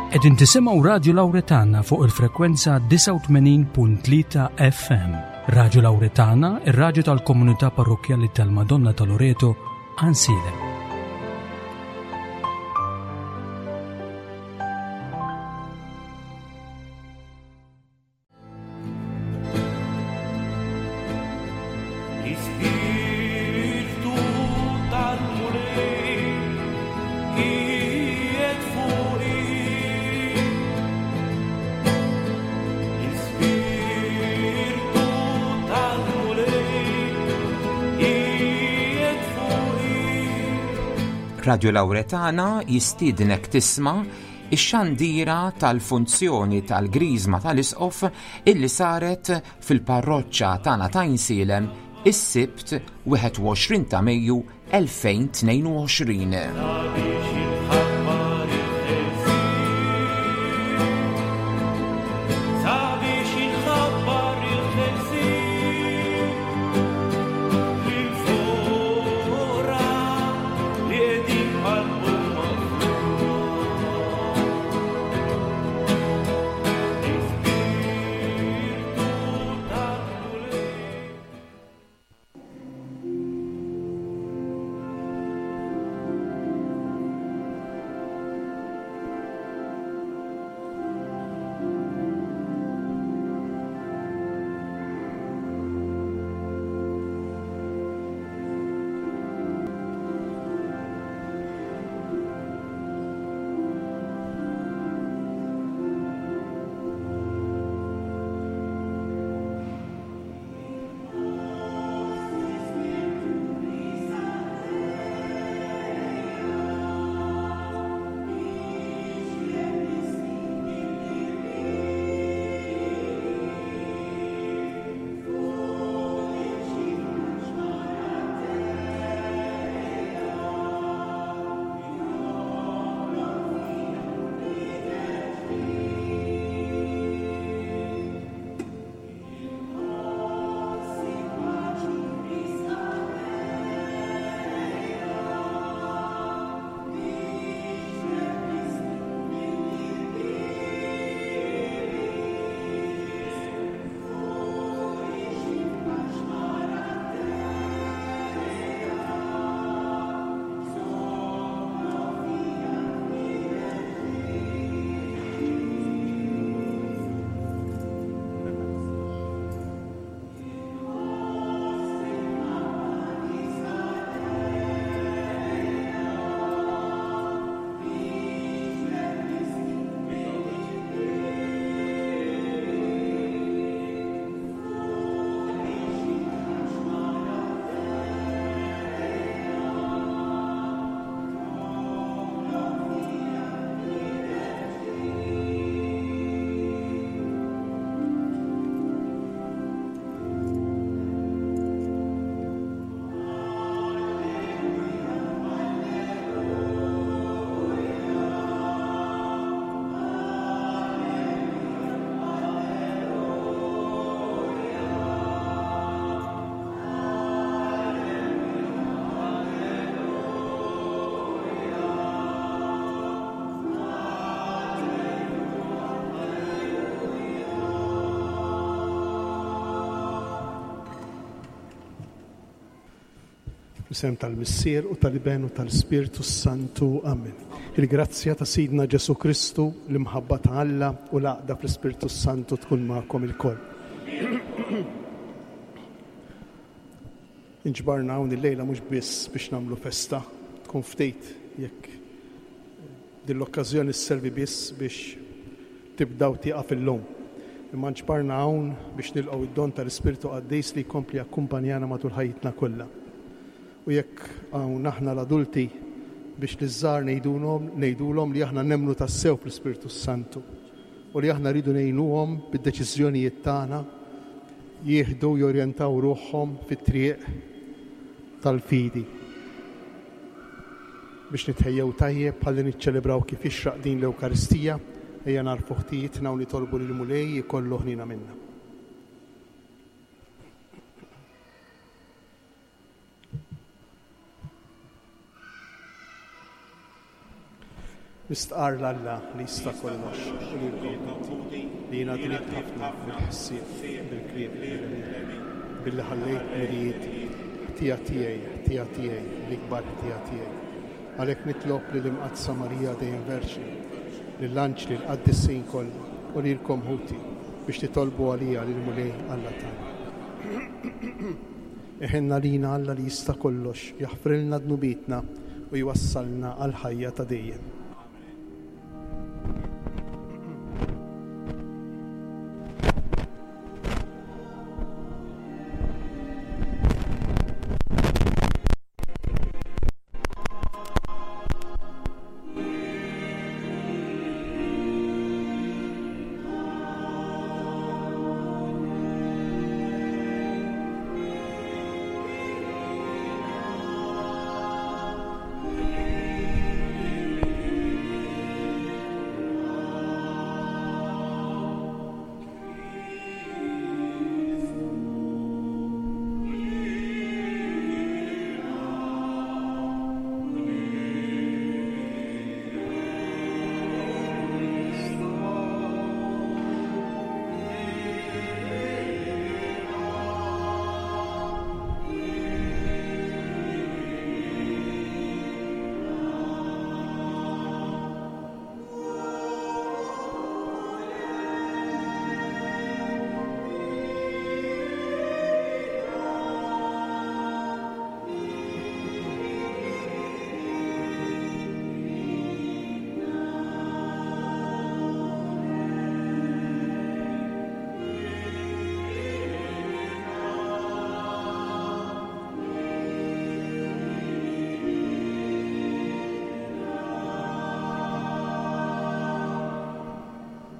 Qegħdin tisimgħu Radju Lawretana fuq il-frekwenza 89.3 FM. Radju Lawretana, ir-radju tal-komunità parrokkjali tal-Madonna ta' Loreto, Ansiedem. L-Ispirtu tal-Mulej qiegħed fuqi. L-Ispirtu tal-Mulej qiegħed fuqi. Radio Lauretana jistiednek tisma' ix-xandira tal-funzjoni tal-Griżma tal-Isqof illi saret fil-parroċċa tagħna ta' Għajnsielem is-Sibt 21 ta' Mejju 2022. Sabiex inħabbar il-ħelsien. Sabiex inħabbar il-ħelsien. Lill-foqra li qegħdin qalbhom maqtugħa. L-Ispirtu tal-Mulej. Fl-isem tal-Missier u tal-Iben u tal-Ispirtu s-Santu. Amen. Il-grazzja ta' Sidna Ġesu Kristu, l-imħabba ta' Alla u l-għaqda fl-Ispirtu s-Santu tkun magħkom ilkoll. Inġbarna hawn illejla mhux biss biex nagħmlu festa, tkun ftit jekk din l-okkażjoni sservi biss biex tibda u tieqaf illum. Imma nġbarna hawn biex nilqgħu id-don tal-Ispirtu Qaddis li jkompli jakkumpanjana matul ħajjitna kollha. U jekk hawn aħna l-adulti biex liż-żgħar ngħidulhom ngħidulhom li aħna nemmnu tassew fl-Ispirtu s-Santu u li aħna rridu ngħinuhom bid-deċiżjonijiet tagħna jieħdu jorjentaw ruħhom fit-triq tal-fidi. Biex nitħejjew tajjeb ħalli niċċelebraw kif jixraq din l-Ewkaristija, ejja nagħrfu ħtijietna u nitolbu lill-Mulej ikollu ħniena minna. Nistqarr 'l Alla li jista' kollox u lilkom ħuti, li jiena dnibt ħafna bil-ħsieb, bil-kliem, bil-għemil, billi ħallejt mirijieti, ħtija tiegħi, ħtija tiegħi, l-ikbar ħtija tiegħi. Għalhekk nitlob lill-Imqaddsa Marija dejjem Verġni, lill-anġli, l-qaddisin kollha, u lilkom ħuti, biex titolbu għalija lill-Mulej Alla tagħna. Iħenn għalina Alla li jista' kollox, jaħfrilna dnubietna u jwassalna għall-ħajja ta' dejjem.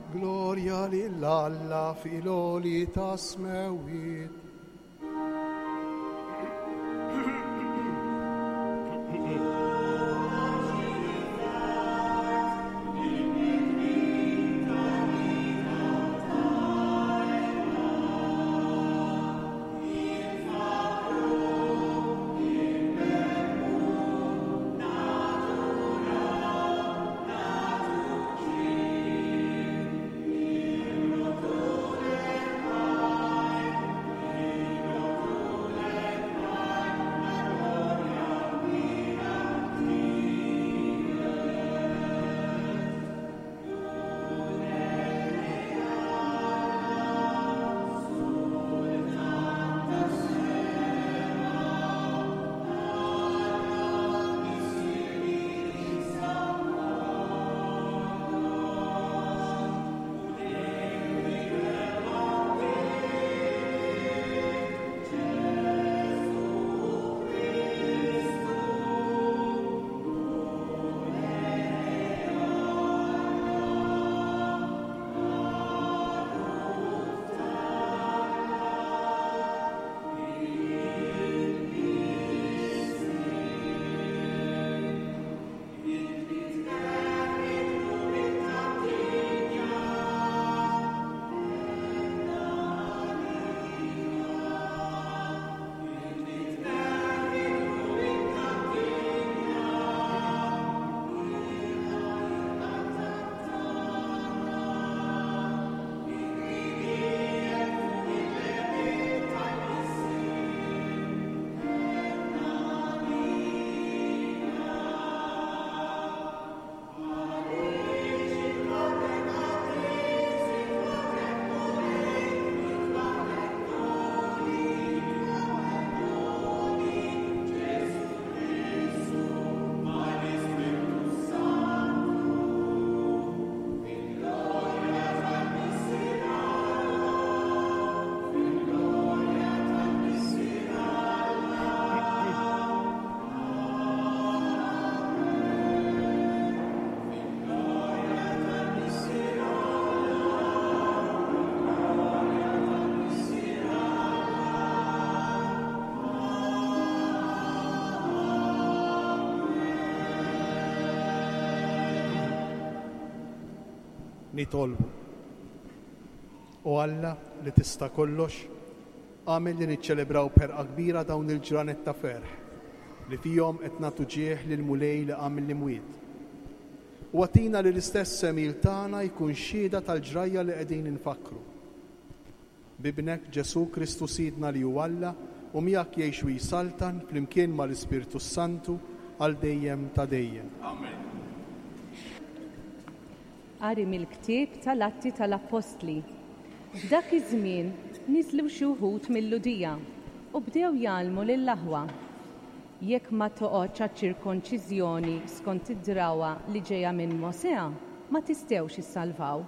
Glorja lil Alla fil-għoli tas-smewwiet. Nitolbu. O Alla li tista' kollox, agħmel li niċċelebraw b'ħerqa kbira dawn il-ġranet ta' ferħ li fihom qed nagħtu ġieħ lill-Mulej li qam mill-imwiet. U agħtina li l-istess għemil tagħna jkun xhieda tal-ġrajja li qegħdin infakkru. B'Ibnek, Ġesù Kristu Sidna li hu Alla u miegħek jgħix u jsaltan flimkien mal-Ispirtu s-Santu għal dejjem ta' dejjem. Amen. Qari mill-ktieb tal-Atti tal-Appostli. F'dak iż-żmien niżlu xi wħud mil-Lhudija u bdew jgħallmu lill-aħwa, Jekk ma toqgħodx għaċ-ċirkonċiżjoni skont id-drawwa li ġejja minn Mosè, ma tistgħux issalvaw.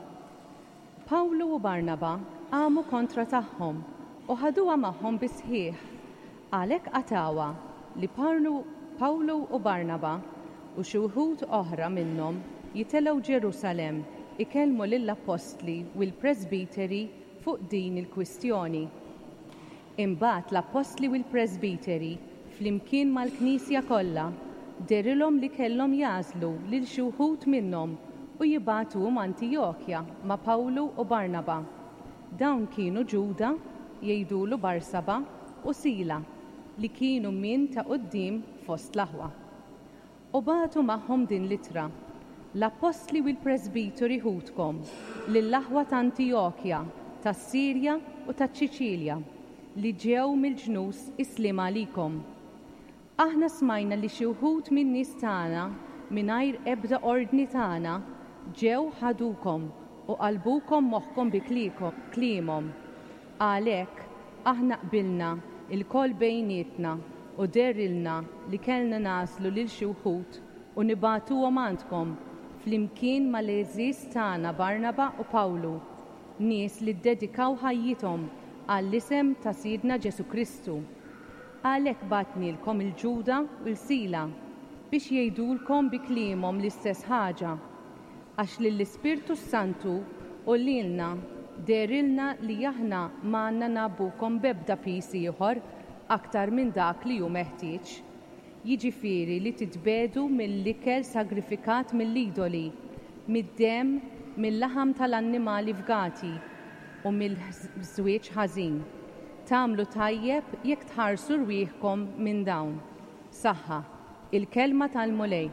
Pawlu u Barnaba qamu kontra tagħhom u ħaduha magħhom bis-sħiħ. Għalhekk qatgħuha li Pawlu u Barnaba u xi wħud oħra minnhom jitelgħu Ġerusalemm ikellmu lill-appostli u l-presbiteri fuq din il-kwistjoni. Imbagħad l-appostli u l-presbiteri, flimkien mal-knisja kollha, dehrilhom li kellhom jagħżlu lil xi wħud minnhom u jibagħtuhom Antijokja ma' Pawlu u Barnaba. Dawn kienu Ġuda, jgħidulu Barsaba, u Sila, li kienu minn ta' quddiem fost l-aħwa. U bagħtu magħhom din l-ittra, L-appostli u l-presbiteri ħutkom, lill-aħwa t'Antijokja, tas-Sirja u taċ-Ċiċilja, li ġew mill-ġnus, is-sliem għalikom. Aħna smajna li xi wħud min-nies tagħna, mingħajr ebda ordni tagħna, ġew ħadukom u qalbukom moħħkom bi kliemhom. Għalhekk, aħna qbilna lkoll bejnietna u dehrilna li kellna nagħżlu lil xi wħud u nibagħtuhom għandkom, flimkien mal-għeżież tagħna Barnaba u Pawlu, nies li ddedikaw ħajjithom għall-isem ta' Sidna Ġesù Kristu. Għalhekk bgħatnielkom 'il Ġuda u 'l Sila, biex jgħidulkom bi kliemhom l-istess ħaġa. Għax lill-Ispirtu s-Santu u lilna dehrilna li aħna m'għandna ngħabbukom b'ebda piż ieħor aktar minn dak li hu meħtieġ, jiġifieri li titbiegħdu mill-ikel sagrifikat mill-idoli, mid-demm, mil-laħam tal-annimali fgati, u mill-żwieġ ħażin. Tagħmlu tajjeb jekk tħarsu rwieħkom minn dawn. Saħħa. Il-Kelma tal-Mulej.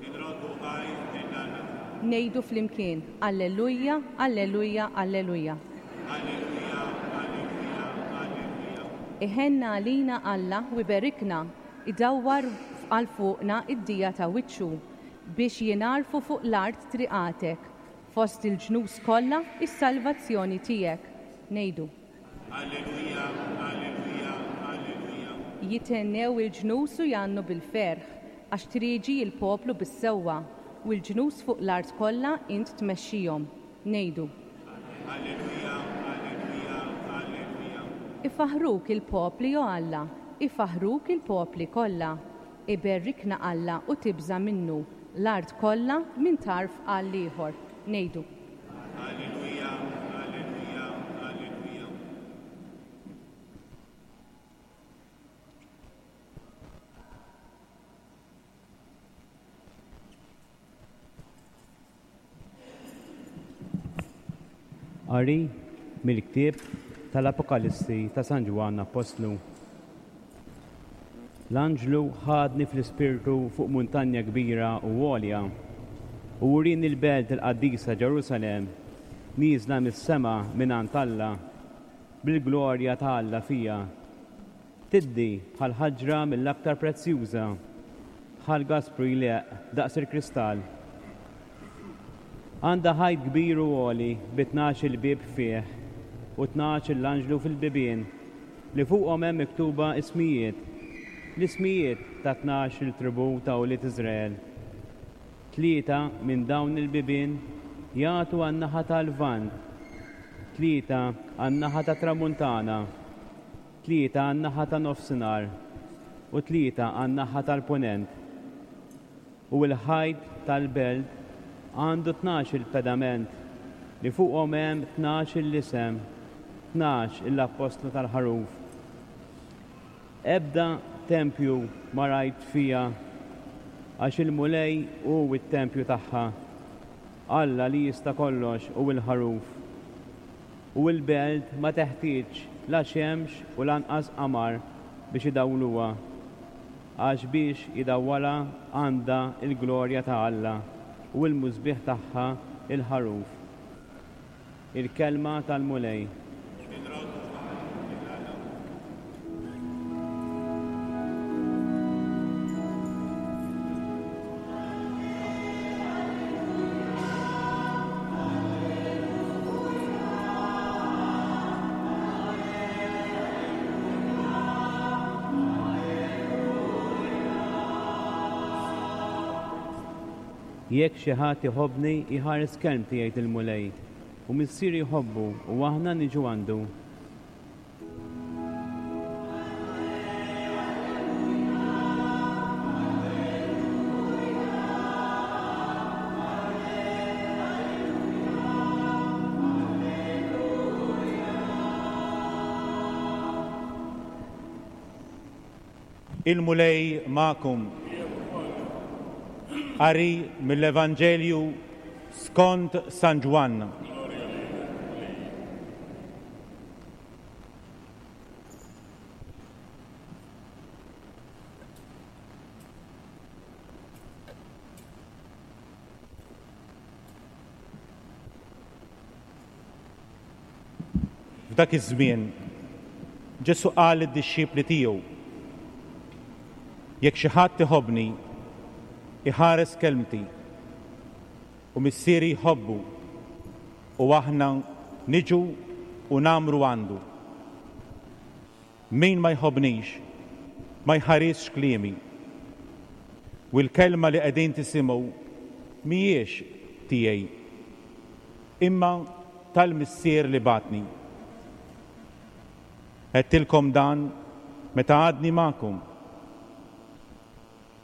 Inroddu ħajr lil Alla. Ngħidu flimkien, Alleluja, Alleluja, Alleluja. Alleluja, Alleluja, Alleluja. Iħenn għalina Alla u jberikna, idawwar għal fuqna d-dija ta' wiċċu, biex jingħarfu fuq l-art triqatek, fost il-ġnus kollha s-salvazzjoni tiegħek. Ngħidu. Alleluja, Alleluja, Alleluja. Jithennew il-ġnus u jgħannu bil-ferħ, għax trieġi l-poplu bis-sewwa, u l-ġnus fuq l-art kollha int tmexxihom. Ngħidu. Alleluja, Alleluja, Alleluja. Ifaħħruk il-popli, o Alla, ifaħħruk il-popli kollha. Iberrikna Alla u tibża' minnu, l-art kollha minn tarf għall-ieħor. Ngħidu. Alleluja, Alleluja, Alleluja. Qari mill-ktieb tal-Apokalissi ta' San Ġwann Appostlu. L-anġlu ħadni fl-ispirtu fuq muntanja kbira u għolja, u wrieni l-belt il-qaddisa Ġerusalemm, nieżla mis-sema mingħand Alla, bil-glorja ta' Alla fiha. Tiddi bħal ħaġra mill-aktar prezzjuża, bħal gaspru jleqq daqs il-kristall. Għandha ħajt kbir u għoli bi tnax-il bieb fih u tnax-il anġlu fil-bibien, li fuqhom hemm miktuba ismijiet, l-ismijiet ta' tnax-il tribù ta' ulied Iżrael. Tlieta minn dawn il-bibien jagħtu għan-naħa tal-Lvant, tlieta għan-naħa tat-Tramuntana, tlieta għan-naħa tan-Nofsinhar, u tlieta għan-naħa tal-Punent. U l-ħajt tal-belt għandu tnax-il pedament li fuqhom hemm tnax-il isem, 12 il-appostlu tal-Ħaruf. Ebda tempju ma rajt fiha, għax il-Mulej hu t-tempju tagħha, Alla li jista' kollox hu l-Ħaruf. U l-belt ma teħtieġx la xemx u lanqas qamar biex idawluha, għax biex idawwalha għandha l-glorja ta' Alla. U l-musbieħ tagħha il-Ħaruf. Il-Kelma tal-Mulej. Jekk xi ħadd iħobbni, jħares kelmti, jgħid il-Mulej, u Missieri jħobbu, u aħna niġu għandu. Il-Mulej magħkom. Qari mill-Evanġelju skont San Ġwann. F'dak iż-żmien, Ġesù qal lid-dixxipli tiegħu, Jekk xi ħadd iħobbni, iħares kelmti, u Missieri jħobbu, u aħna niġu u ngħammru għandu. Min ma jħobbnix, ma jħarisx kliemi. U l-kelma li qegħdin tisimgħu mhijiex tiegħi, imma tal-Missier li bagħatni. Għedtilkom dan meta għadni magħkom.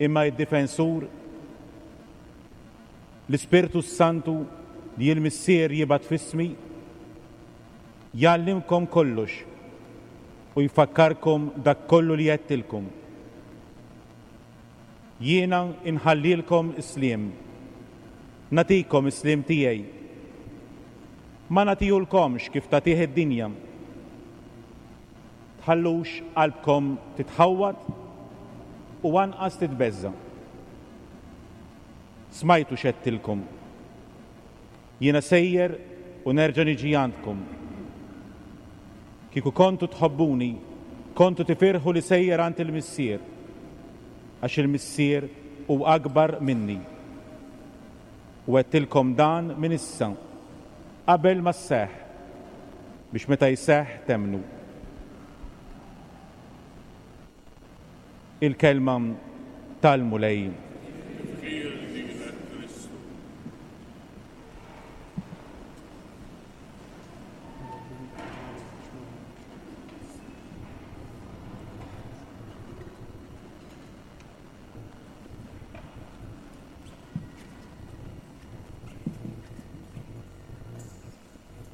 Imma id-Difensur, l-Ispirtu s-Santu li l-Missier jibgħat f'ismi, jgħallimkom kollox u jfakkarkom dak kollu li għedtilkom. Jiena nħallilkom is-sliem, nagħtikom is-sliem tiegħi. Ma nagħtihulkomx kif tagħtih id-dinja. Tħallux qalbkom titħawwad u anqas titbeżża'. Smajtu x'għedtilkom. Jiena sejjer u nerġa' niġi għandkom. Kieku kontu tħobbuni, kontu tifirħu li sejjer għand il-Missier, għax il-Missier hu akbar minni. U għedtilkom dan minn issa, qabel ma sseħħ, biex meta jseħħ temmnu. Il-Kelma tal-Mulej. Tifħir lilek, Kristu.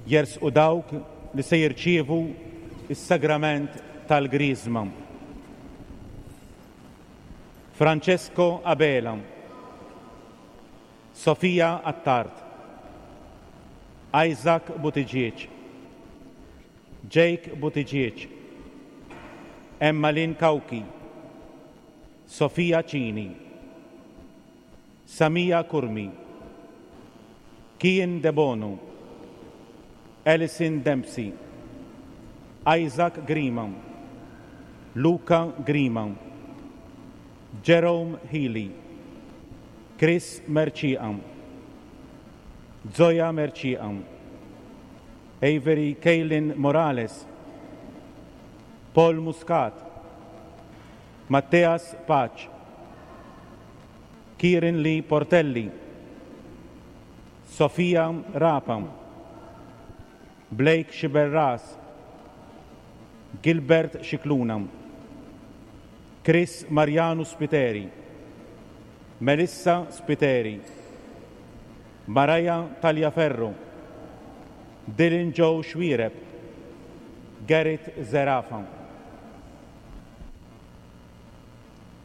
Jersqu dawk li se jirċievu s-sagrament tal-Griżma. Francesco Abela, Sofia Attard, Isaac Buttigieg, Jake Buttigieg, Emma Lynn Cauchi, Sofia Cini, Samia Curmi, Kian Debono, Alison Dempsey, Isaac Grima, Luca Grima, Jerome Healy, Chris Mercieca, Zoya Mercieca, Avery Kaylin Morales, Paul Muscat, Matteas Pace, Kieran Lee Portelli, Sofia Rapa, Blake Sciberras, Gilbert Scicluna, Chris Mariano Spiteri, Melissa Spiteri, Mariah Taliaferro, Dylan Joe Xuereb, Garrett Zerafa.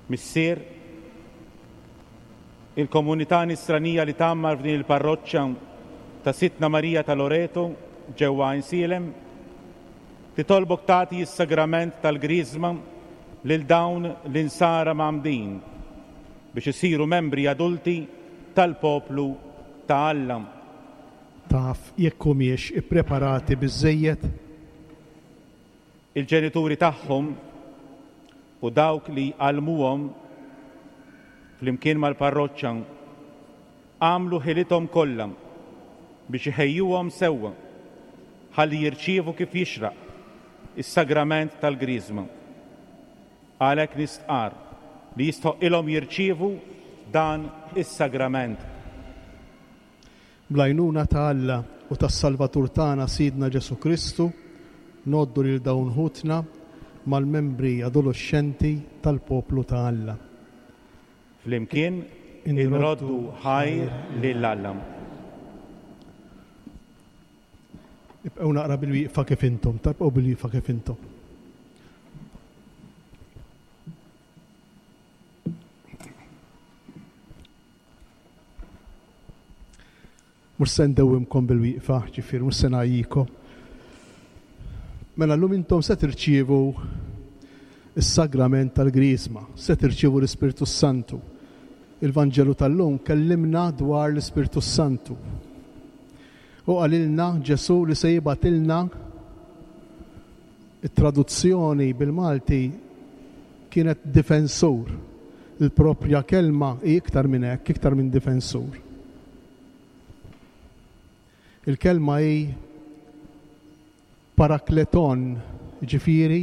Missier, il-komunità nisranija li tgħammar f'din il-parroċċa ta' Sidtna Marija ta' Loreto ġewwa Għajnsielem, titolbok tagħti s-sagrament tal-Griżma lil dawn l-insara mgħammdin biex isiru membri adulti tal-poplu ta' Alla. Taf jekk humiex ippreparati biżżejjed? Il-ġenituri tagħhom u dawk li għallmuhom flimkien mal-parroċċa għamlu ħilithom kollha biex iħejjuhom sewwa ħalli jirċievu kif jixraq is-sagrament tal-Griżma. Għalhekk nistqarr li jistħoqqilhom jirċievu dan is-sagrament. Bl-għajnuna ta' Alla u tas-Salvatur tagħna Sidna Ġesù Kristu, ngħoddu lil dawn ħutna mal-membri adoloxxenti tal-poplu ta' Alla. Flimkien inroddu ħajr lil Alla. Ibqgħu naqra bil-wieqfa kif intom, ta' ibqgħu bil-wieqfa kif intom. Mhux se ndewwimkom bil-wieqfa, ġifieri mhux se ngħajjikom. Mela llum intom se tirċievu is-sagrament tal-Griżma, se tirċievu l-Ispirtu Santu. Il-Vanġelu tal-lum kellimna dwar l-Ispirtu Santu. U qalilna Ġesù li se jibgħatilna it-traduzzjoni bil-Malti kienet difensur. Il-proprja kelma hi iktar minn hekk, iktar minn difensur. Il-kelma hi parakleton, ġifieri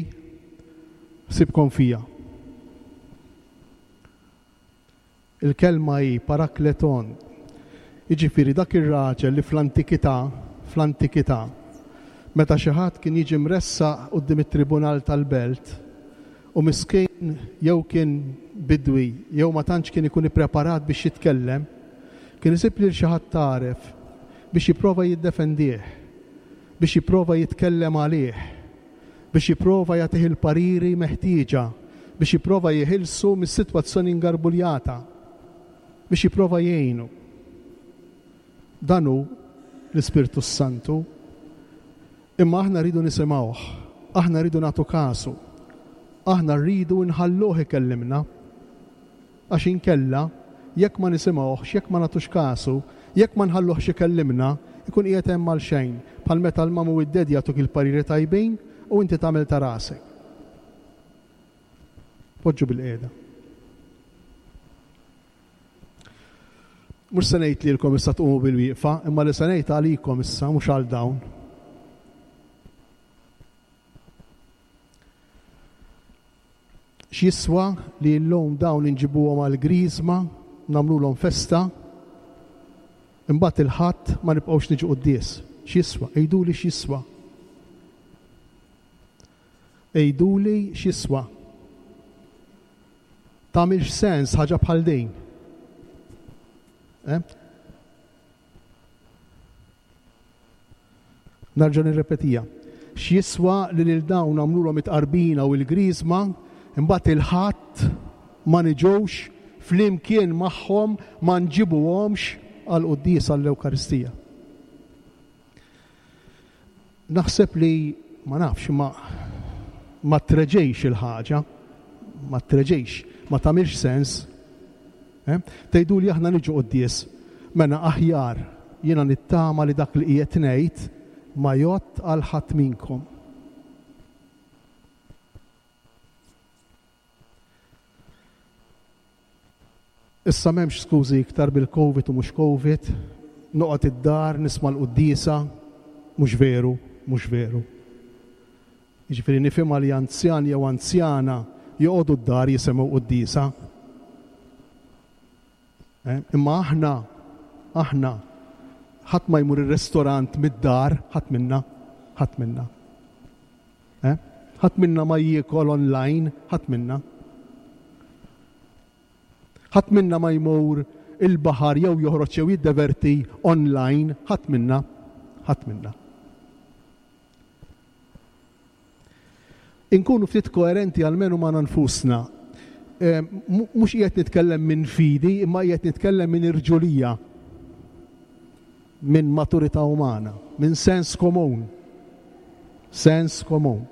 ħsibkom fija. Il-kelma hi parakleton. Jiġifieri dak ir-raġel li fl-antikità, fl-antikità, meta xi ħadd kien jiġi mressaq quddiem it-tribunal tal-belt, u miskin jew kien bidwi jew ma tantx kien ikun ippreparat biex jitkellem, kien isib lil xi ħadd għaref biex jipprova jiddefendih, biex jipprova jitkellem għalih. biex jipprova jagħtih il-pariri meħtieġa biex jipprova jeħilsu mis-sitwazzjoni ngarbuljata, biex jipprova jgħinu. Dan hu l-Ispirtu s-Santu. Imma aħna rridu nisimgħuh, aħna rridu nagħtu kasu, aħna rridu nħalluh ikellimna. Għax inkella, jekk ma nisimgħuhx, jekk ma nagħtux kasu, jekk ma nħalluhx ikellimna, ikun qiegħed hemm għalxejn, bħal meta l-mum u d-dad jagħtuk il-pariri tajbin u inti tagħmel ta' rasek. Poġġu bilqiegħda. Mhux se ngħid lilkom issa tqumu bilwieqfa, imma li se ngħid għalikom issa mhux għal dawn. X'jiswa li llum dawn inġibuhom għall-Griżma, nagħmlulhom festa, imbagħad il-Ħadd ma nibqgħux niġu quddies? X'jiswa? Għiduli x'jiswa? Għiduli x'jiswa? Tagħmilx sens ħaġa bħal din. Eh? Nerġa' nirrepetiha. X'jiswa li lil dawn nagħmlulhom it-tqarbina u l-griżma, imbagħad il-Ħadd ma niġux flimkien magħhom ma nġibuhomx għall-quddiesa għall-Ewkaristija. Naħseb li ma nafx ma ma treġejx il-ħaġa, ma treġejx, ma tagħmilx sens. Eh? Tgħiduli aħna niġu quddies. Mela aħjar jiena nittama li dak li qiegħed ngħid ma jgħodd għal ħadd minkom. Issa m'hemmx skużi iktar bil-Covid u mhux Covid, noqgħod id-dar nisma' l-quddiesa, mhux veru, mhux veru. Jiġifieri nifhimha li anzjan jew anzjana joqogħdu d-dar jisimgħu quddiesa. Eh, imma aħna, aħna, ħadd ma jmur ir-restorant mid-dar, ħadd minna, ħadd minna. Eh? Ħadd minna ma jiekol online, ħadd minna. Ħadd minna ma jmur il-baħar jew joħroġ jew jiddeverti online, ħadd minna, ħadd minna. Inkunu ftit koerenti almenu magħna nfusna. Eh, mhux qiegħed nitkellem minn fidi, imma qiegħed nitkellem minn irġulija, minn maturità umana, minn sens komun. Sens komun.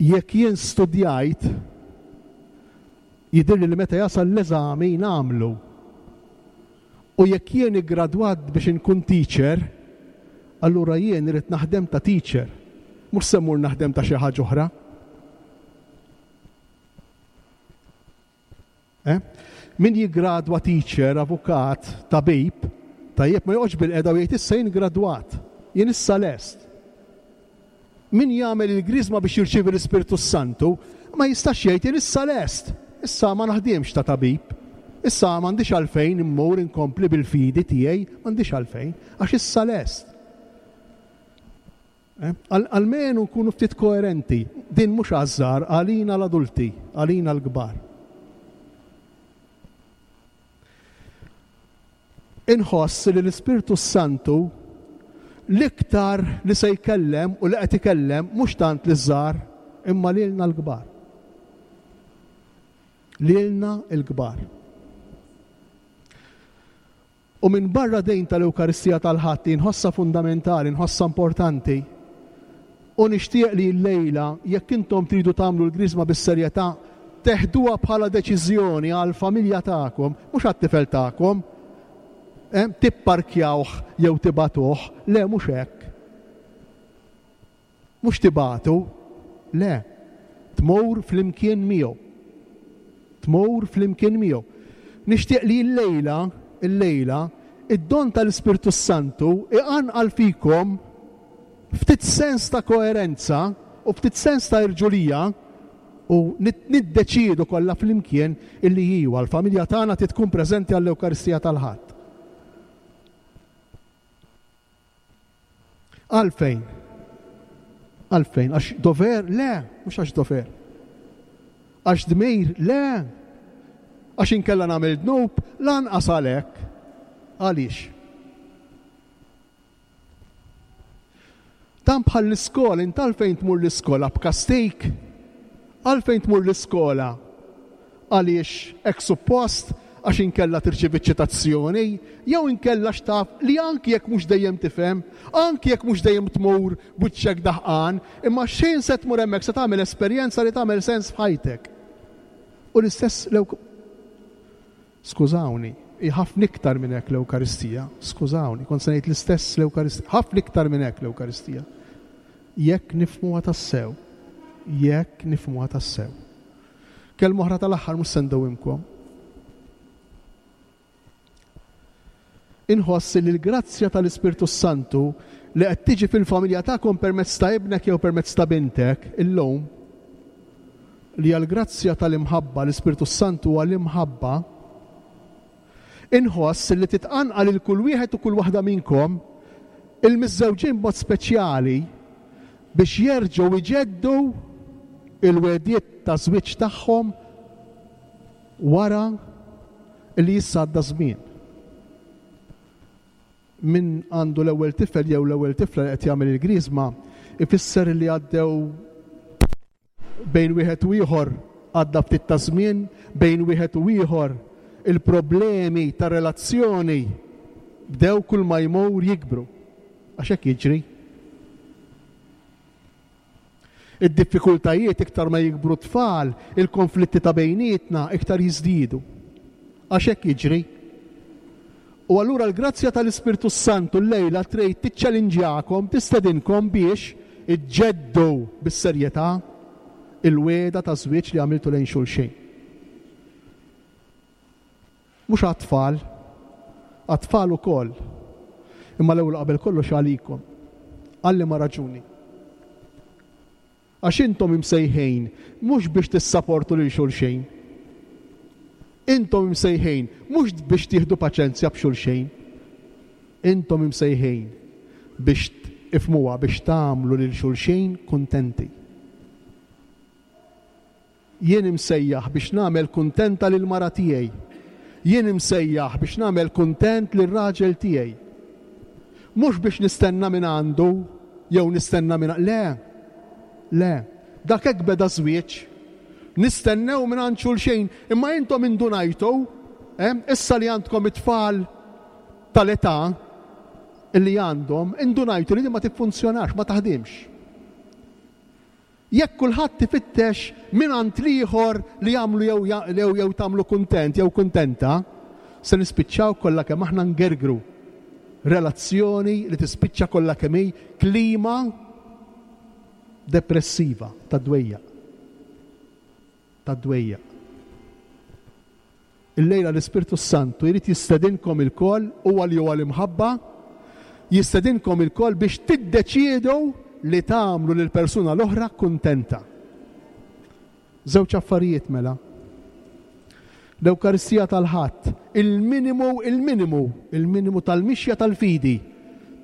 Jekk jien studjajt, jidhirli li meta jasal l-eżami nagħmlu. U jekk jien iggradwat biex inkun teacher, allura jien irrid naħdem ta' teacher, mhux se mmur naħdem ta' xi ħaġa oħra. Eh? Min jiggradwa teacher, avukat, tabib, tajjeb ma joqgħodx bilqiegħda u jgħid issa jien gradwat, jien issa lest. Min jagħmel il-griżma biex jirċievi l-Ispirtu s-Santu ma jistax jgħid jien issa lest, issa ma naħdimx ta' tabib, issa m'għandix għalfejn immur inkompli bil-fidi tiegħi, m'għandix għalfejn, għax issa lest. Eh? Almenu nkunu ftit koerenti. Din mhux għaż-żgħar, għalina l-adulti, għalina l-kbar. Inħoss li l-Ispirtu s-Santu l-iktar li se jkellem u li qed ikellem mhux tant liż-żgħar imma lilna l-kbar. Lilna l-kbar. U minbarra din tal-Ewkaristija tal-Ħadd li nħossha fundamentali, nħossha importanti, u nixtieq li llejla, jekk intom tridu tagħmlu l-Griżma bis-serjetà, teħduha bħala deċiżjoni għall-familja tagħkom, mhux għat-tifel tagħkom, eh, tipparkjawh jew tibagħtuh, le mhux hekk. Mhux tibagħtu, le, tmur flimkien miegħu. Tmur flimkien miegħu. Nixtieq li llejla, illejla, id-don tal-Ispirtu s-Santu iqanqal fikom ftit sens ta' koerenza u ftit sens ta' irġulija u niddeċiedu kollha flimkien illi iwa, l-familja tagħna trid tkun preżenti għall-Ewkaristija tal-Ħadd. Għalfejn? Għalfejn? Għax dover? Le, mhux għax dover. Għax dmir? Le. Għax inkella nagħmel dnub? Lanqas għalhekk. Għaliex? Dan bħal l-iskola, int għalfejn tmur l-iskola b'kastik? Għalfejn tmur l-iskola? Għaliex hekk suppost, għax inkella tirċievi ċitazzjoni, jew inkella għax taf li anki jekk mhux dejjem tifhem, anki jekk mhux dejjem tmur b'wiċċek daħqan, imma x'ħin se tmur hemmhekk se tagħmel esperjenza li tagħmel sens f'ħajtek. U l-istess l Skużawni, hi ħafna iktar minn hekk l-Ewkaristija, skużawni, kont se ngħid l-istess l-Ewkaristija, ħafna iktar minn hekk l-Ewkaristija. Jekk nifhmuha tassew, jekk nifhmuha tassew. Kelma oħra tal-aħħar mhux se ndewwimkom. Inħoss li l-grazzja tal-Ispirtu s-Santu li qed tiġi fil-familja tagħkom permezz ta' ibnek jew permezz ta' bintek illum, li hija l-grazzja tal-imħabba, l-Ispirtu s-Santu huwa l-imħabba, inħoss li titqanqal lil kull wieħed u kull waħda minnkom, il-miżżewġin b'mod speċjali, biex jerġgħu jġeddu l-wegħdiet ta' żwieġ tagħhom wara li issa għadda żmien. Min għandu l-ewwel tifel jew l-ewwel tifla li qed jagħmel il-griżma ifisser li għaddew bejn wieħed u ieħor għadda ftit ta' żmien, bejn wieħed u ieħor il-problemi ta' relazzjoni bdew kull ma jmur jikbru. Għax hekk jiġri. Id-diffikultajiet iktar ma jikbru t-tfal, il-konflitti ta' bejnietna iktar jiżdiedu. Għax hekk jiġri. U allura l-grazzja tal-Ispirtu s-Santu llejla trid tiċċelinġjakom, tistedinkom biex iġġeddu bis-serjetà il-wegħda ta' żwieġ li għamiltu lejn xulxin. Mhux għat-tfal, għat-tfal ukoll, imma l-ewwel u qabel kollox għalikom. Għal liema raġuni? Għax intom imsejħin mhux biex tissaportu lil xulxin. Intom imsejħin mhux biex tieħdu paċenzja b'xulxin. Intom imsejħin biex, ifhmuha, biex tagħmlu lil xulxin kuntenti. Jien imsejjaħ biex nagħmel kuntenta lill-mara tiegħi. Jien imsejjaħ biex nagħmel kuntent lir-raġel tiegħi. Mhux biex nistenna mingħandu jew nistenna minn le. Le. Dak hekk beda ż-żwieġ. Nistennew mingħand xulxin, imma intom indunajtu, eh, issa li għandkom it-tfal tal-età li għandhom, indunajtu li din ma tiffunzjonax, ma taħdimx. Jekk kulħadd ifittex mingħand l-ieħor li jagħmlu jew jew tagħmlu kuntent jew kuntenta, Se nispiċċaw kollha kemm aħna ngergru. Relazzjoni li tispiċċa kollha kemm hi klima depressiva ta' dwejjaq. Ta' dwejjaq. Illejla l-Ispirtu s-Santu jrid jistedinkom ilkoll, huwa li huwa l-imħabba, jistedinkom ilkoll biex tiddeċiedu li tagħmlu lill-persuna l-oħra kuntenta. Żewġ affarijiet mela. L-Ewkaristija tal-Ħadd, il-minimu, il-minimu, il-minimu tal-mixja tal-fidi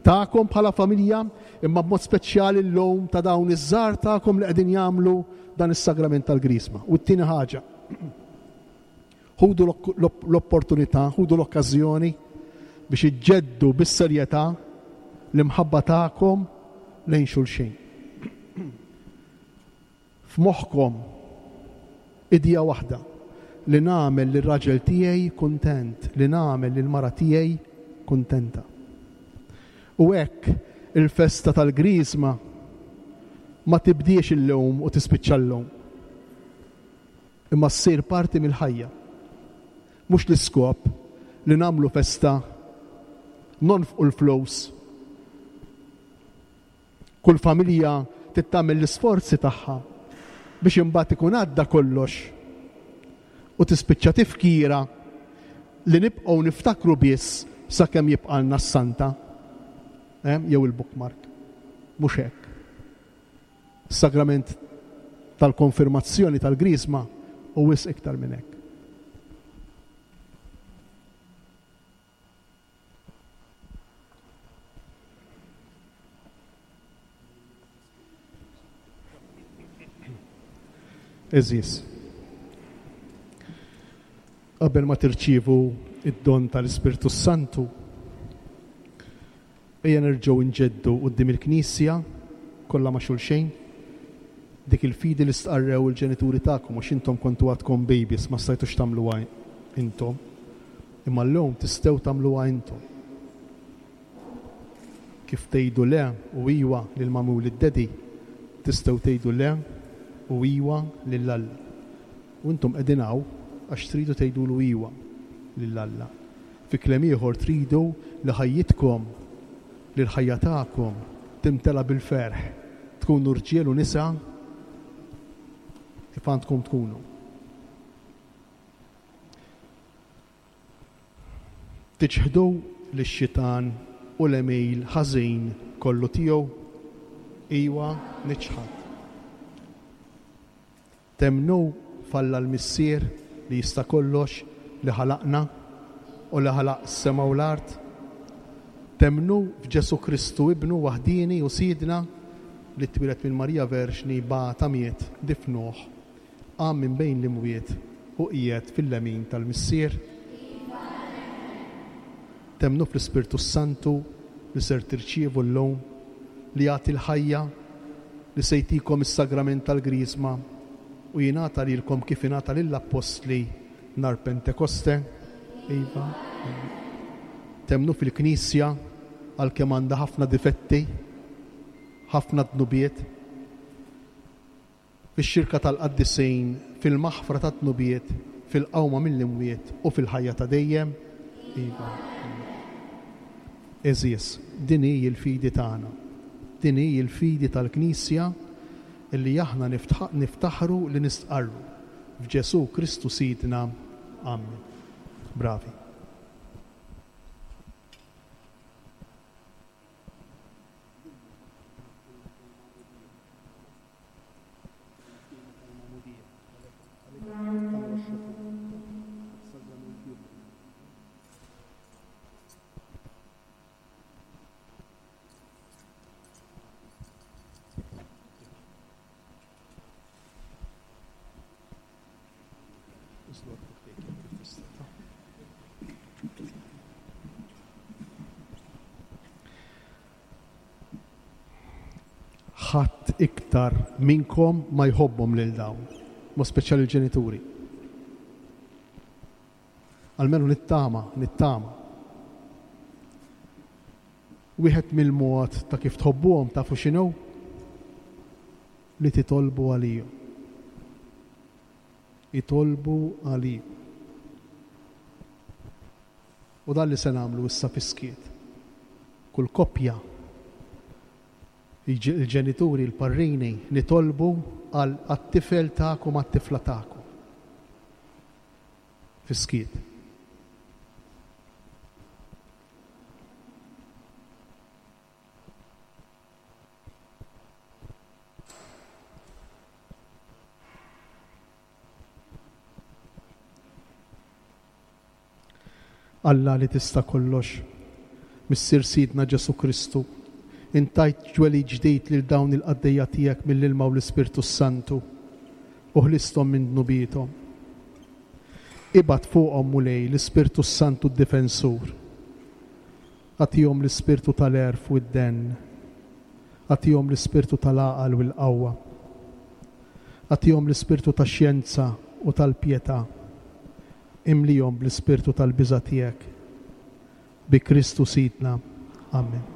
tagħkom bħala familja, imma b'mod speċjali llum ta' dawn iż-żgħar tagħkom li qegħdin jagħmlu dan is-sagrament tal-Griżma. U t-tieni ħaġa, ħudu l-opportunità, ħudu l-okkażjoni biex iġġeddu bis-serjetà l-imħabba tagħkom lejn xulxin. F'moħħkom idea waħda, li nagħmel lir-raġel tiegħi kuntent, li nagħmel lill-mara tiegħi kuntenta. U hekk il-festa tal-Griżma ma tibdiex illum u tispiċċa llum. Imma ssir parti mill-ħajja. Mhux l-iskop li nagħmlu festa, nonfqu l-flus, Kull familja trid tagħmel l-isforzi tagħha biex imbagħad ikun għadda kollox u tispiċċa tifkira li nibqgħu niftakru biss sakemm jibqgħalna s-santa eh, jew il-bookmark. Mhux hekk. Is-sagrament tal-konfirmazzjoni tal-Griżma hu wisq iktar minn hekk. Għeżież, qabel ma tirċievu d-don tal-Ispirtu s-Santu, ejja nerġgħu nġeddu quddiem il-Knisja kollha ma' xulxejn dik il-fidi li stqarrew il-ġenituri tagħkom għax intom kontu għadkom babies ma stajtux tagħmluha intom. Imma llum tistgħu tagħmluha intom. Kif tgħidu le u iwa lil Mummy u lid-Daddy, tistgħu tgħidu le u iwa lil Alla. U intom qegħdin hawn għax tridu tgħidulu iwa lil Alla. Fi kliem ieħor tridu li ħajjitkom, li l-ħajja tagħkom timtela bil-ferħ, tkunu rġiel u nisa kif għandkom tkunu. Tiċħdu lix-xitan u l-għemil ħażin kollu tiegħu? Iwa, niċħad. Temmnu f'Alla l-Missier li jista' kollox, li ħalaqna u li ħalaq is-sema u l-art? Temmnu f'Ġesù Kristu Ibnu waħdieni u Sidna, li twieled minn Marija Verġni, bata, miet, difnuh, Qam minn bejn l-imwiet u qiegħed fil-lemin tal-Missier? Temmnu fl-Ispirtu s-Santu li ser tirċievu llum, li jagħti l-ħajja, li se jtikom is-sagrament tal-Griżma u jingħata lilkom kif ingħata lill-Appostli nhar Pentekoste? Iva. Temmnu fil-Knisja għalkemm għandha ħafna difetti, ħafna dnubiet? Fix-xirka tal-qaddisin, fil-maħfra tad-dnubiet, fil-qawma mill-imwiet u fil-ħajja ta' dejjem? Iva. Għeżież, din hi l-fidi tagħna. Din hi l-fidi tal-Knisja illi aħna niftaħru li nistqarru. F'Ġesù Kristu Sidna. Amen. Bravi. Ħadd iktar minnkom ma jħobbhom lil dawn, mod speċjali l-ġenituri. Almenu nittama, nittama. Wieħed mill-mod ta' kif tħobbuhom tafu x'inhu? Li titolbu għalihom. Itolbu għalihom. U dan li se nagħmlu issa fis-skiet. Kull koppja, il-ġenituri, il-parrini, nitolbu għal għat-tifel tagħkom għat-tifla tagħkom. Fis-skiet. Alla li tista' kollox, Missier Sidna Ġesù Kristu, int tajt twelid ġdid lil dawn il-qaddejja tiegħek mill-ilma u l-Ispirtu s-Santu, u ħlisthom minn dnubiethom. Ibgħat fuqhom, Mulej, l-Ispirtu s-Santu d-Difensur. Agħtihom l-ispirtu tal-għerf u d-denn. Agħtihom l-ispirtu tal-għaqal u l-qawwa. Agħtihom l-ispirtu tax-xjenza u tal-pjetà. Imlihom bl-ispirtu tal-biża' tiegħek. Bi Kristu Sidna. Amen.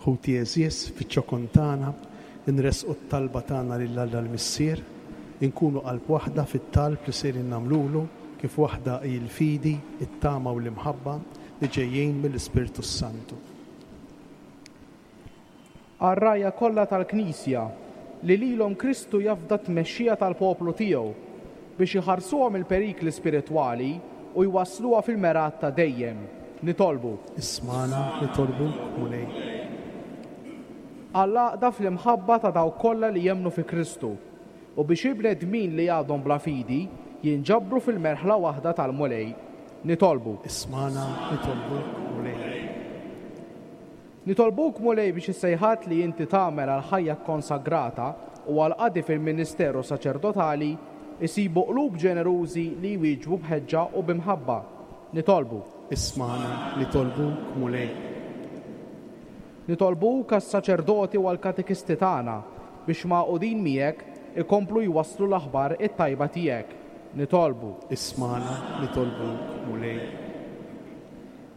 Ħuti għeżież, fiċ-ċokon tagħna, inressqu t-talba tagħna lil Alla l-Missier, inkunu qalb waħda fit-talb li sejrin nagħmlulu, kif waħda hi l-fidi, it-tama u l-imħabba li ġejjin mill-Ispirtu s-Santu. Għar-rgħajja kollha tal-Knisja, li lilhom Kristu jafda t-tmexxija tal-poplu tiegħu, biex iħarsuha mill-perikli spiritwali u jwassluha fil-mergħat ta' dejjem. Nitolbu. Ismagħna, nitolbuk, Mulej. Għall-għaqda fl-imħabba ta' dawk kollha li jemmnu fi Kristu, u biex il-bnedmin li għadhom bla fidi jinġabru fil-merħla waħda tal-Mulej. Nitolbu. Ismagħna, nitolbuk, Mulej. Nitolbuk, Mulej, biex is-sejħat li inti tagħmel għall-ħajja kkonsagrata u għall-qadi fil-ministeru saċerdotali jsibu qlub ġenerużi li jwieġbu b'ħeġġa u bi mħabba. Nitolbu. Ismagħna, nitolbuk, Mulej. Nitolbuk għas-saċerdoti u għall-katekisti tagħna biex magħqudin miegħek ikomplu jwasslu l-aħbar it-tajba tiegħek. Nitolbu. Ismagħna, nitolbuk, Mulej.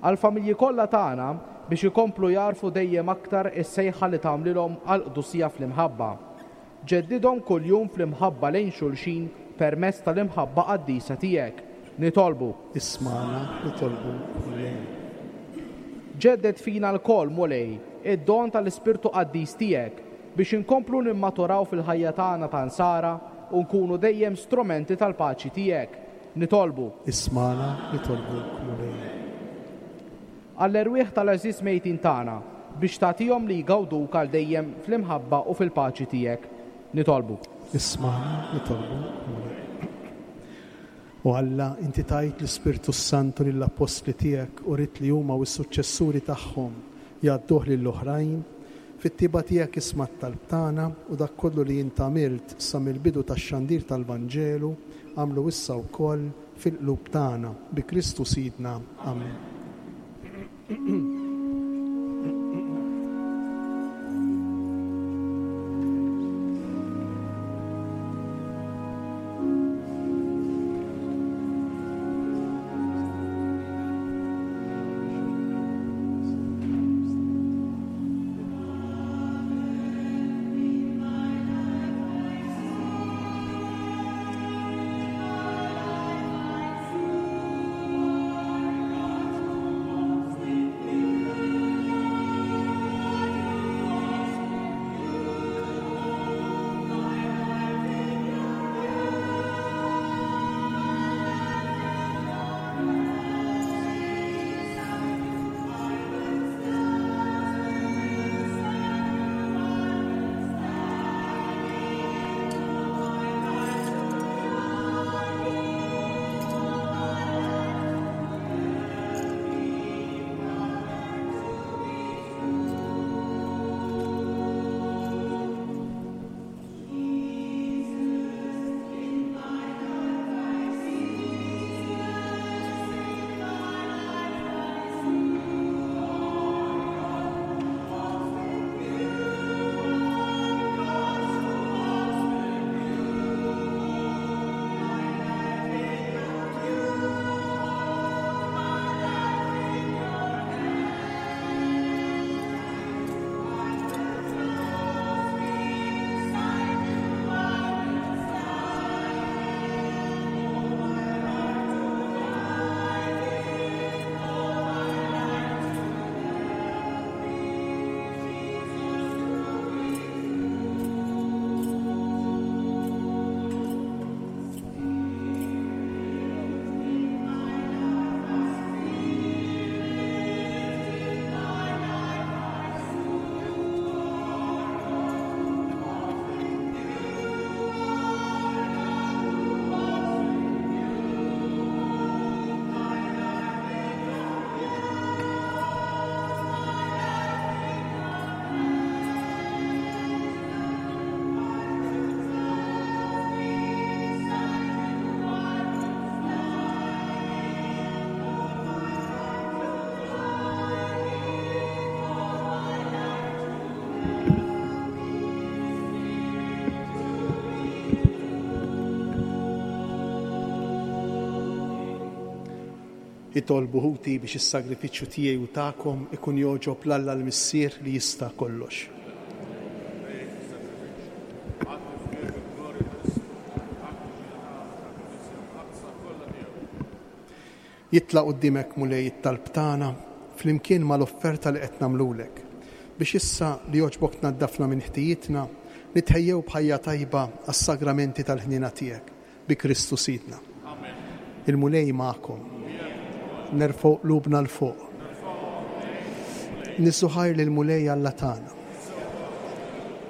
Għall-familji kollha tagħna biex ikomplu jagħrfu dejjem aktar is-sejħa li tagħmlilhom għall-qdusija fl-imħabba. Ġeddidhom kuljum fl-imħabba lejn xulxin permezz tal-imħabba qaddisa tiegħek. Nitolbu. Ismagħna, nitolbuk, Mulej. Ġedded fina lkoll, Mulej, id-don tal-Ispirtu Qaddis tiegħek biex inkomplu nimmaturaw fil-ħajja tagħna ta' Nsara u nkunu dejjem strumenti tal-paċi tiegħek. Nitolbu. Ismagħna, nitolbuk, Mulej. Għall-erwieħ tal-għeżież mejtin tagħna, biex tagħtihom li jgawduk għal dejjem fl-imħabba u fil-paċi tiegħek. Nitolbu. Ismagħna, nitolbuk, Mulej. O Alla, inti tajt l-Ispirtu s-Santu lill-appostli tiegħek u ridt li huma u s-suċċessuri tagħhom jgħadduh lill-oħrajn. Fit-tjieba tiegħek isma' t-talb tagħna u dak kollu li int għamilt sa mill-bidu tax-xandir tal-Vanġelu, Agħmlu issa wkoll fil-qlub tagħna, bi Kristu Sidna. Amen. Itolbu ħuti biex is-sagrifiċċju tiegħi u tagħkom ikun jogħġob 'l Alla l-Missier li jista' kollox. Jitla' quddiemek Mulej it-talb tagħna flimkien mal-offerta li qed nagħmlulek, biex issa li għoġbok tnaddafna minn ħtijietna, nitħejjew b'ħajja tajba għas-sagramenti tal-ħniena tiegħek. Bi Kristu Sidna. Il-Mulej magħkom. Nerfgħu qlubna 'l fuq. Niżżu ħajr lill-Mulej Alla tagħna.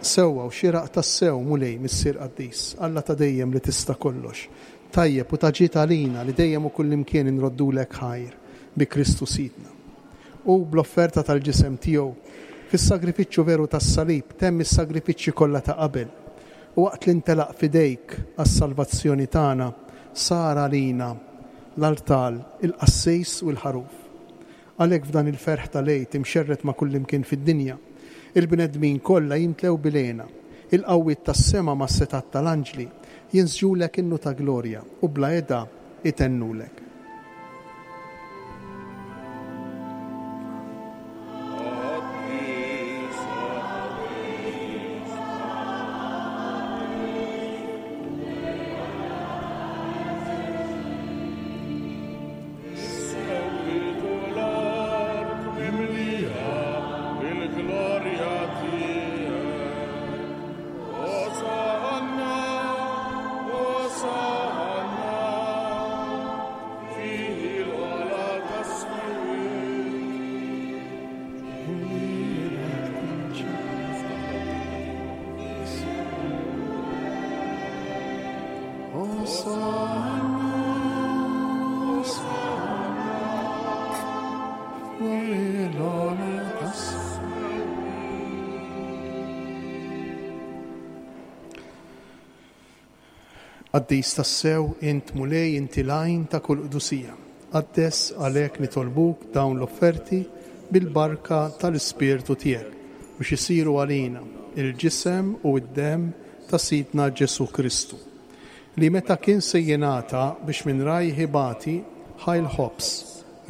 Sewwa u xieraq tassew, Mulej, Missier qaddis, Alla ta' dejjem li tista' kollox, tajjeb u ta' ġid għalina li dejjem u kullimkien inroddulek ħajr bi Kristu Sidna. Hu bl-offerta tal-ġisem tiegħu, fis-sagrifiċċju veru tas-salib, temm is-sagrifiċċji kollha ta' qabel U waqt li ntelaq f'idejk għas-salvazzjoni tagħna, sar għalina l-artal, il-qassis u l-ħaruf. Għalhekk f'dan il-ferħ tal-Għid imxerred ma' kullimkien fid-dinja, il-bnedmin kollha jimtlew bil-hena. Il-qawwiet tas-sema mas-setgħat tal-anġli jinsġulek innu ta' glorja u bla heda itennulek. Qaddis tassew int Mulej inti l-għajn ta' kull qdusija. Qaddes għalhekk nitolbuk dawn l-offerti bil-barka tal-Ispirtu tiegħek biex isiru għalina il-ġisem u d-demm ta' Sidna Ġesù Kristu, li meta kien se jingħata biex minn rajh ibati, ħa l-ħobż,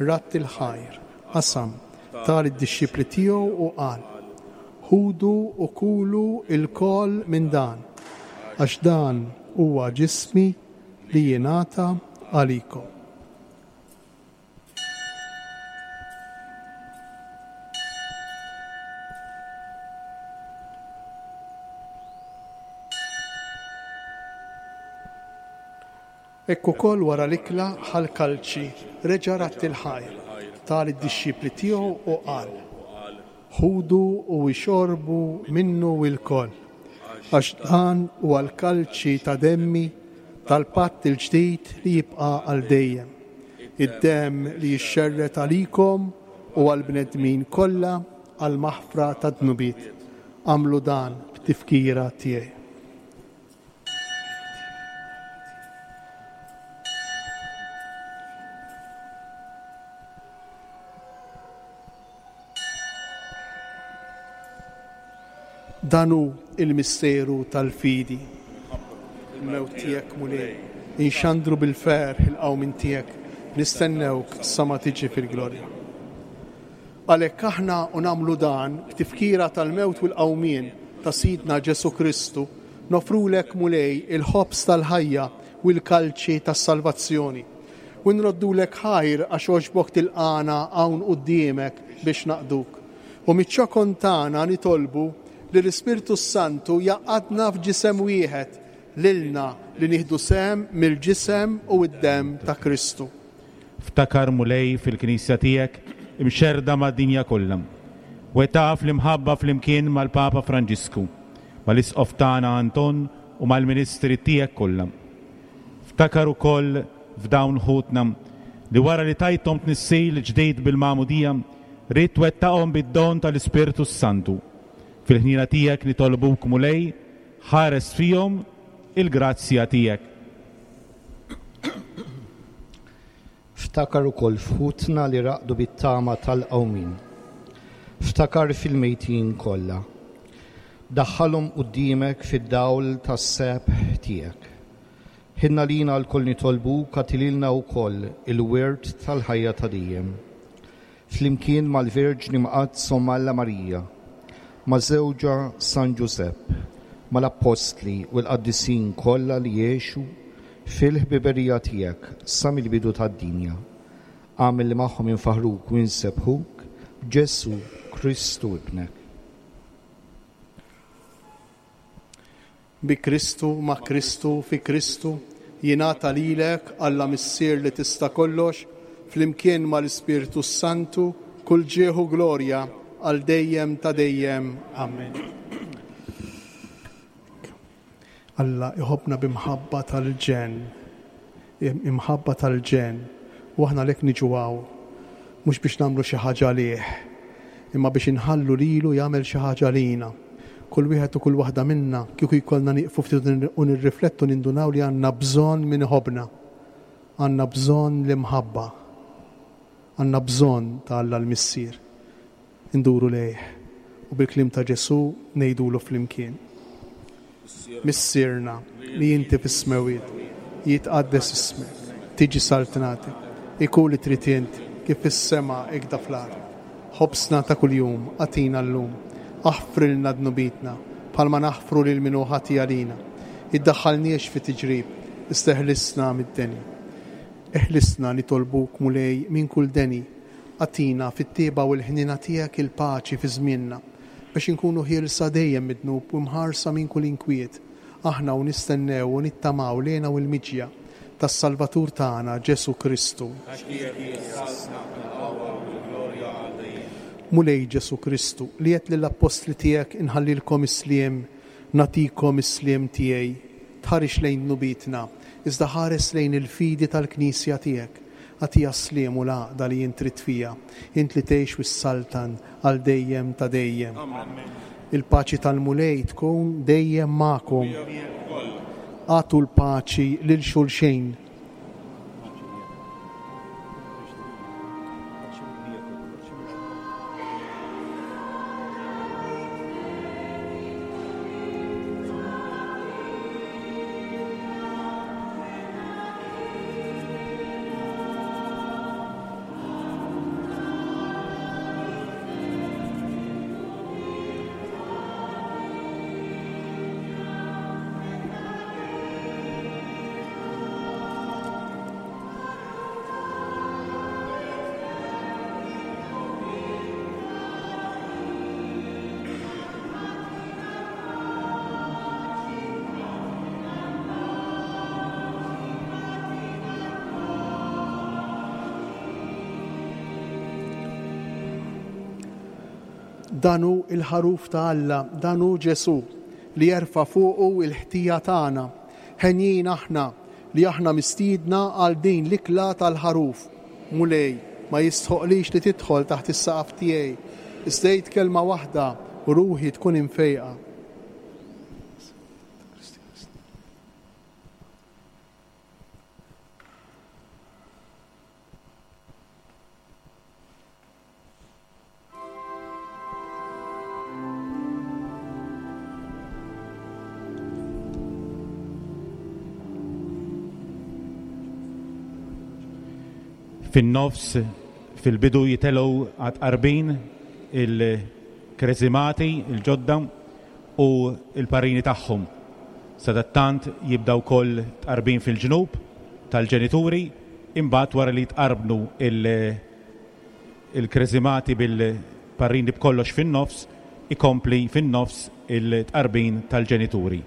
radd il-ħajr, qasam, ta lid-dixxipli tiegħu u qal, Ħudu u kulu lkoll minn dan, għax dan huwa ġismi li jingħata għalikom. Hekk ukoll wara l-ikla ħa l-kalċi, reġa' radd il-ħajr, ta lid-dixxipli tiegħu u qal, Ħudu u ixorbu minnu ilkoll, għax dan huwa l-kalċi ta' demmi tal-patt il-ġdid li jibqa' għal dejjem, id-demm li jixxerred għalikom u għall-bnedmin kollha għall-maħfra tad-dnubiet. Agħmlu dan b'tifkira tiegħi. Dan hu l-misteru tal-fidi. Il-mewt tiegħek, Mulej, inxandru bil-ferħ il-qawmien tiegħek, nistennewk sa ma tiġi fil-glorja. Għalhekk aħna u nagħmlu dan b'tifkira tal-mewt u l-qawmien ta' Sidna Ġesù Kristu, noffrulek Mulej il-ħobż tal-ħajja u l-kalċi tas-salvazzjoni. U nroddulek ħajr għax għoġbok tilqagħna hawn quddiemek biex naqduk. U miċ-ċokon tagħna nitolbu li l-Ispirtu s-Santu jgħaqqadna f'ġisem wieħed lilna li nieħdu sehem mill-ġisem u d-demm ta' Kristu. Ftakar, Mulej, fil-Knisja tiegħek imxerrda mad-dinja kollha. Wettaqha fl-imħabba flimkien mal-Papa Franġisku, mal-Isqof tagħna Anton u mal-ministri tiegħek kollha. Ftakar ukoll f'dawn ħutna li wara li tajthom tnissil ġdid bil-Magħmudija, ridt twettaqhom bid-don tal-Ispirtu s-Santu. Fil-ħniena tiegħek nitolbuk, Mulej, ħares fihom il-grazzja tiegħek. Ftakar ukoll f'ħutna li raqdu bit-tama tal-qawmien. Ftakar fil-mejtin kollha. Daħħalhom quddiemek fid-dawl tas-sebħ tiegħek. Ħinn għalina lkoll nitolbuk agħti lilna wkoll il-wirt tal-ħajja ta' dejjem. Flimkien mal-Verġni Mqaddsa Omm Alla Marija, ma' żewġha San Ġużepp, mal-Appostli u l-qaddisin kollha li għexu fil-ħbiberija tiegħek sa mill-bidu tad-dinja. Agħmel li magħhom infaħħruk u nsebbħuk b'Ġesù Kristu Ibnek. Bi Kristu, ma' Kristu, fi Kristu, jingħata lilek, Alla Missier li tista' kollox, flimkien mal-Ispirtu s-Santu, kull ġieħ u glorja għal dejjem ta' dejjem. Amen. Alla iħobbna b'imħabba tal-ġenn. Imħabba tal-ġenn. U aħna għalhekk niġu hawn, mhux biex nagħmlu xi ħaġa għalih, imma biex inħallu lilu jagħmel xi ħaġa għalina. Kull wieħed u kull waħda minna, kieku jkollna nieqfu ftit u nirriflettu nindunaw li għandna bżonn min iħobbna. Għandna bżonn l-imħabba. Għandna bżonn ta' Alla l-Missier. Induru lejh u bil-kliem ta' Ġesù ngħidulu flimkien. Missierna li inti fis-smewwiet, jitqaddes ismek, tiġi saltnatek, ikun li trid int kif fis-sema ikda fl-art. Ħobżna ta' kuljum agħtina llum. Aħfrilna dnubietna, bħalma naħfru lil min hu ħati għalina. Iddaħħalniex fi tiġrib, iżda eħlisna mid-deni. Eħlisna, nitolbuk, Mulej, minn kull deni. Agħtina, fit-tjieba u l-ħniena tiegħek, il-paċi fi żmienna, biex inkunu ħielsa dejjem mid-dnub u mħarsa minn kull inkwiet, aħna u nistennew u nittamaw l-hena u l-miġja tas-Salvatur tagħna, Ġesù Kristu. Għax tiegħek hi s-saltna, il-qawwa u l-glorja għal dejjem. Mulej Ġesù Kristu, li għedt lill-appostli tiegħek inħallilkom is-sliem, nagħtikom is-sliem tiegħi, tħarisx lejn dnubietna, iżda ħares lejn il-fidi tal-Knisja tiegħek. Agħtiha s-sliem u l-għaqda li int trid fiha, int li tgħix u ssaltan għal dejjem ta' dejjem. Il-paċi tal-Mulej tkun dejjem magħkom. Agħtu l-paċi lil xulxin. Dan hu l-Ħaruf ta' Alla, dan hu Ġesù, li jerfa' fuqu l-ħtija tagħna. Henjin aħna li aħna mistiedna għal din l-ikla tal-Ħaruf. Mulej, ma jistħoqqlix li tidħol taħt is-saqaf tiegħi, iżda għid kelma waħda u ruħi tkun imfejqa. Fin-nofs, fil-bidu jitelgħu għat-tqarbin il-kreżimati l-ġodda u l-parrini tagħhom. Sadattant jibda wkoll tqarbin fil-ġnub tal-ġenituri, imbagħad wara li jitqarbnu il-kreżimati bil-parrini b'kollox fin-nofs, ikompli fin-nofs il-tqarbin tal-ġenituri.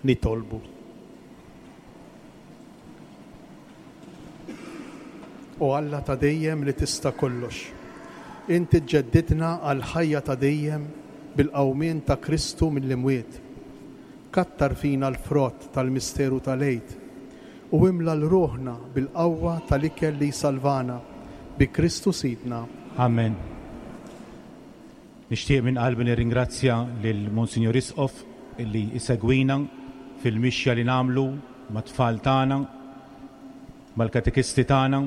Nitolbu. O Alla ta' dejjem li tista' kollox, inti ġġeddidna għall-ħajja ta' dejjem bil-qawmien ta' Kristu mill-imwiet. Kattar fina l-frott tal-misteru tal-Għid u imla 'l ruħna bil-qawwa tal-ikel li jsalvana, bi Kristu Sidna. Amen. Nixtieq minn qalbi nirringrazzja lil Monsinjur Isqof illi jsegwina fil-mixja li nagħmlu mat-tfal tagħna, mal-katekisti tagħna,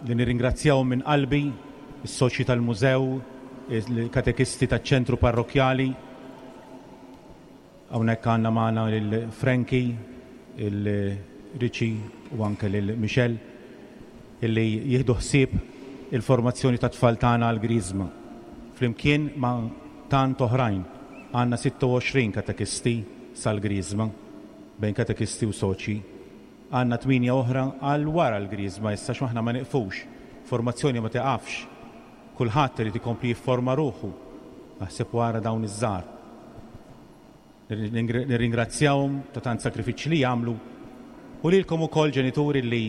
li nirringrazzjahom minn qalbi, is-soċji tal-mużew, il-katekisti taċ-ċentru parrokkjali. Hawnhekk għandna magħna lil Frankie, il Richie u anke lil Michelle illi jieħdu ħsieb il-formazzjoni tat-tfal tagħna għall-Griżma. Flimkien ma' tant oħrajn għandna 26 katekisti sal-Griżma, bejn katekisti u soċji. Għandna tmienja oħra għal wara l-Griżma issa għax aħna ma nieqfux. Formazzjoni ma tiqafx. Kulħadd irid ikompli jifforma ruħu, aħseb u ara dawn iż-żgħar. Nirringrazzjahom ta' tant sagrifiċċji li jagħmlu u lilkom ukoll ġenituri li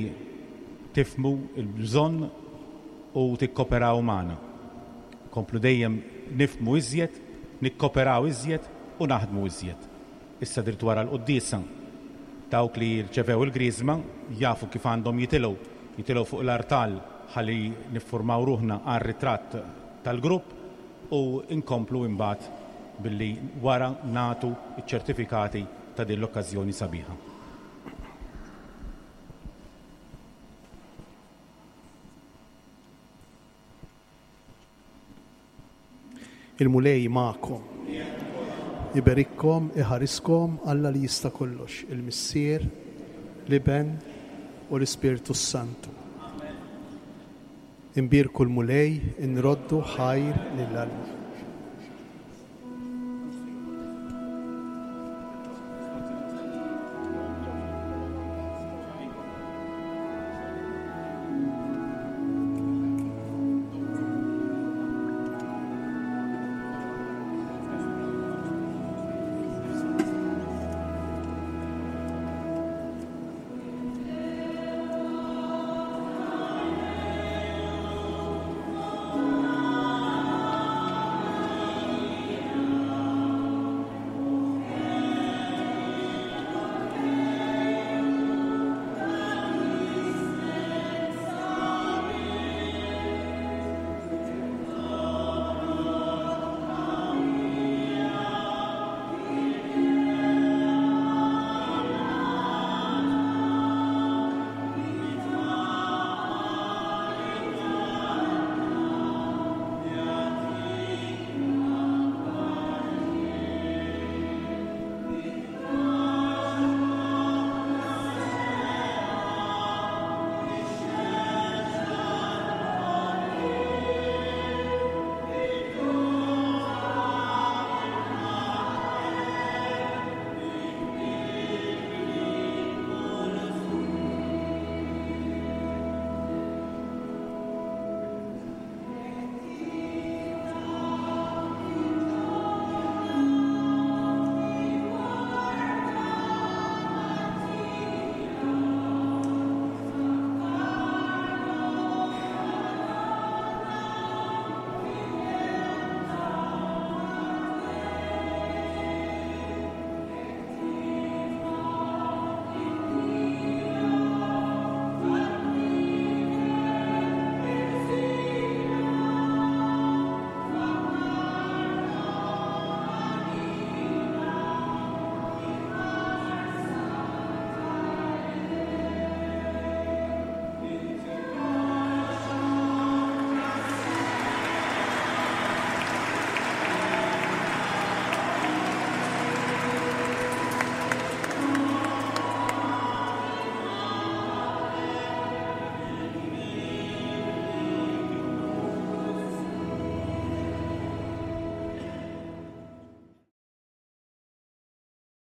tifhmu l-bżonn u tikkoperaw magħna. Nkomplu dejjem nifhmu iżjed, nikkoperaw iżjed u naħdmu iżjed. Issa dritt wara l-quddiesa, dawk li rċevew il-griżma jafu kif għandhom jitilgħu, jitilgħu fuq l-artal ħalli niffurmaw ruħna għar-ritratt tal-grupp u nkomplu imbagħad billi wara nagħtu ċ-ċertifikati ta' din l-okkażjoni sabiħa. Il-Mulej magħkom. Iberikkom, iħariskom Alla li jista' kollox, il-Missier, l-Iben u l-Ispirtu s-Santu. Imbierku l-Mulej, inroddu ħajr lil Alla.